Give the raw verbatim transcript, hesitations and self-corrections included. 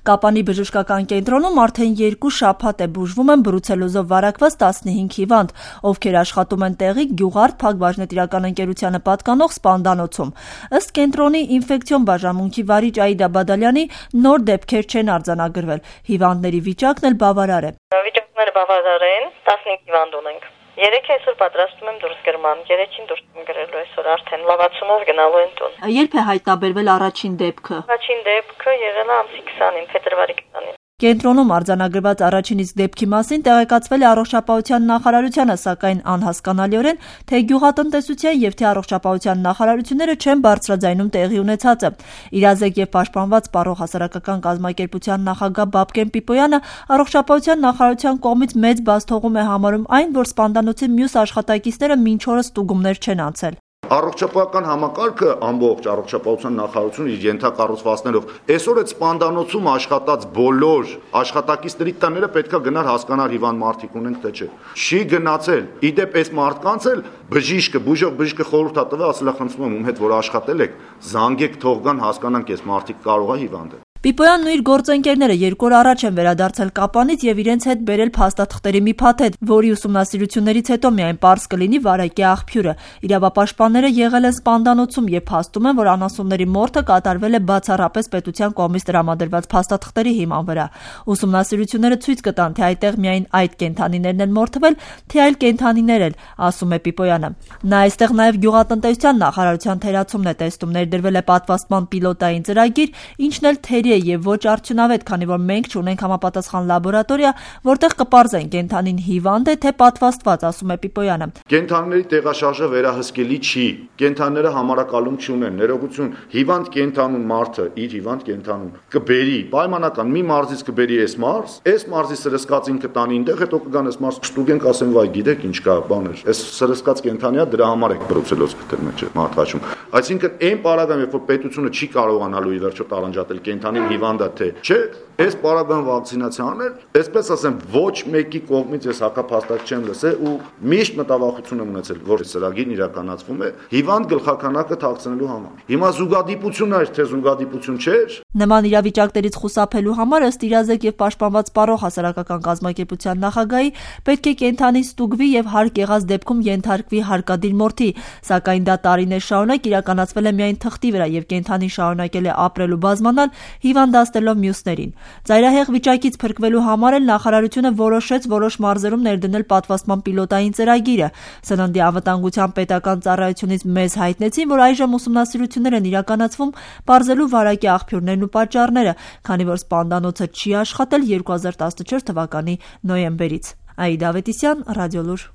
Կապանի բժշկական կենտրոնում արդեն երկու շաբաթ է բուժվում են բրուցելոզով վարակված տասնհինգ հիվանդ, ովքեր աշխատում են տեղի Գյուղարդ Փակ-բաժնետիրական ընկերությանը պատկանող սպանդանոցում։ Ըստ կենտրոնի ինֆեկցիոն բաժանմունքի վարիչ Աիդա Բադալյանի, նոր դեպքեր չեն արձանագրվել։ Հիվանդների վիճակն էլ բավարար է։ Վիճակները բավարար են, տասնհինգ հիվանդ ունենք։ Երեքը այսօր պատրաստում եմ դուրս գրման, երեքին դուրս եմ գրելու այսօր արդեն լավացումով գնալու են տուն։ Երբ է հայտնաբերվել առաջին դեպքը։ Առաջին դեպքը եղել է ամսի քսանին, փետրվարի քսանին։ Կենտրոնում արձանագրված առաջին իսկ դեպքի մասին տեղեկացվել է առողջապահության նախարարությանը, սակայն անհասկանալիորեն թե գյուղատնտեսության եւ թե առողջապահության նախարարությունները չեն բարձրաձայնում տեղի ունեցածը։ Իրազեկ եւ պաշտպանված Պարող հասարակական կազմակերպության նախագահ Բաբկեն Պիպոյանը առողջապահության նախարարության կողմից մեծ բացթողում է համարում այն, որ սպանդանոցի մյուս աշխատակիցները մինչ օրս ստուգումներ չեն անցել։ Առողջապահական համակարգը ամբողջ առողջապահության նախարարությունը իր ենթակառուցվածքներով այսօր այդ սպանդանոցում աշխատած բոլոր աշխատակիցների տները պետքա գնար հասկանար հիվանդ մարդիկ ունենք թե չէ։ Չի գնացել։ Իդեպ այս մարդկանց էլ բժիշկը, բուժող բժիշկը խորհուրդ է տվել, ասել է խնդրում եմ ում հետ որ աշխատել եք, զանգեք թող գան հասկանանք այս մարդիկ կարող է հիվանդ է։ Պիպոյանն ու իր գործընկերները երկու օր առաջ են վերադարձել Կապանից եւ իրենց հետ բերել փաստաթղթերի մի փաթեթ, որի ուսումնասիրություններից հետո միայն պարզ կլինի վարակի աղբյուրը։ Իրավապաշտպանները եղել են սպանդանոցում եւ փաստում են, որ անասունների մորթը կատարվել է բացառապես պետության կողմից տրամադրված փաստաթղթերի հիման վրա։ Ուսումնասիրությունները ցույց կտան, թե այդտեղ միայն այդ կենդանիներն են մորթվել, թե այլ կենդանիներ էլ, ասում է Պիպոյանը։ Նա այստեղ նաեւ գյուղատնտեսության նախարարության թերացումն է տեսնում, ներդրվել է պատվաստման պիլոտային ծրագիր, ինչն էլ թերի եւ ոչ արդյունավետ, քանի որ մենք չունենք համապատասխան լաբորատորիա, որտեղ կպարզեն կենդանին հիվանդ է թե պատվաստված, ասում է Պիպոյանը։ Կենդանիների տեղաշարժը վերահսկելի չի։ Կենդանիները համարակալում չունեն, ներողություն, հիվանդ կենդանուն մարդը իր հիվանդ կենդանուն կբերի պայմանական մի մարզից կբերի այս մարզ, այս մարզի սրսկածին կտանի այնտեղ, հետո կգան այս մարզ կստուգենք, ասեն վայ, գիտեք ինչ կա, բաներ։ Այս սրսկած կենդանիա դրա համար է բրուցելոզ գտել մեջ մարդաշում։ Այսինքն այն պարագայում, երբ որ պետությունը չի կարողանալու ի վերջո տարանջատել կենդանի հիվանդը թե չէ, այս պարագան վակցինացիան էլ, այսպես ասեմ, ոչ մեկի կողմից ես հակափաստակ չեմ լսել ու միշտ մտավախություն եմ ունեցել, որ ծրագիրն իրականացվում է հիվանդ գլխականակը թաքցնելու համար։ Հիմա զուգադիպություն էր, թե զուգադիպություն չէր։ Նման իրավիճակներից խուսափելու համար ըստ իրազեկ եւ պաշտպանված Պարող հասարակական կազմակերպության նախագահի պետք է կենդանին ստուգվի եւ հարկ եղած դեպքում ենթարկվի հարկադիր մորթի, սակայն դա տարիներ շարունակ իրականացվել է միայն թղթի վրա եւ կենդանին շարունակել է ապրել ու բազմանալ հիվանդացնելով մյուսներին։ Ծայրահեղ վիճակից փրկվելու համար էլ նախարարությունը որոշեց որոշ մարզերում ներդնել պատվաստման պիլոտային ծրագիրը։ Սննդի անվտանգության պետական ծառայությունից մեզ հայտնեցին, որ այժմ ուսումնասիրություններ են իրականացվում պարզելու վարակի աղբյուրներն ու պատճառները, քանի որ սպանդանոցը չի աշխատել երկու հազար տասնչորս թվականի նոյեմբերից։ Աիդա Ավետիսյան, Ռադիոլուր։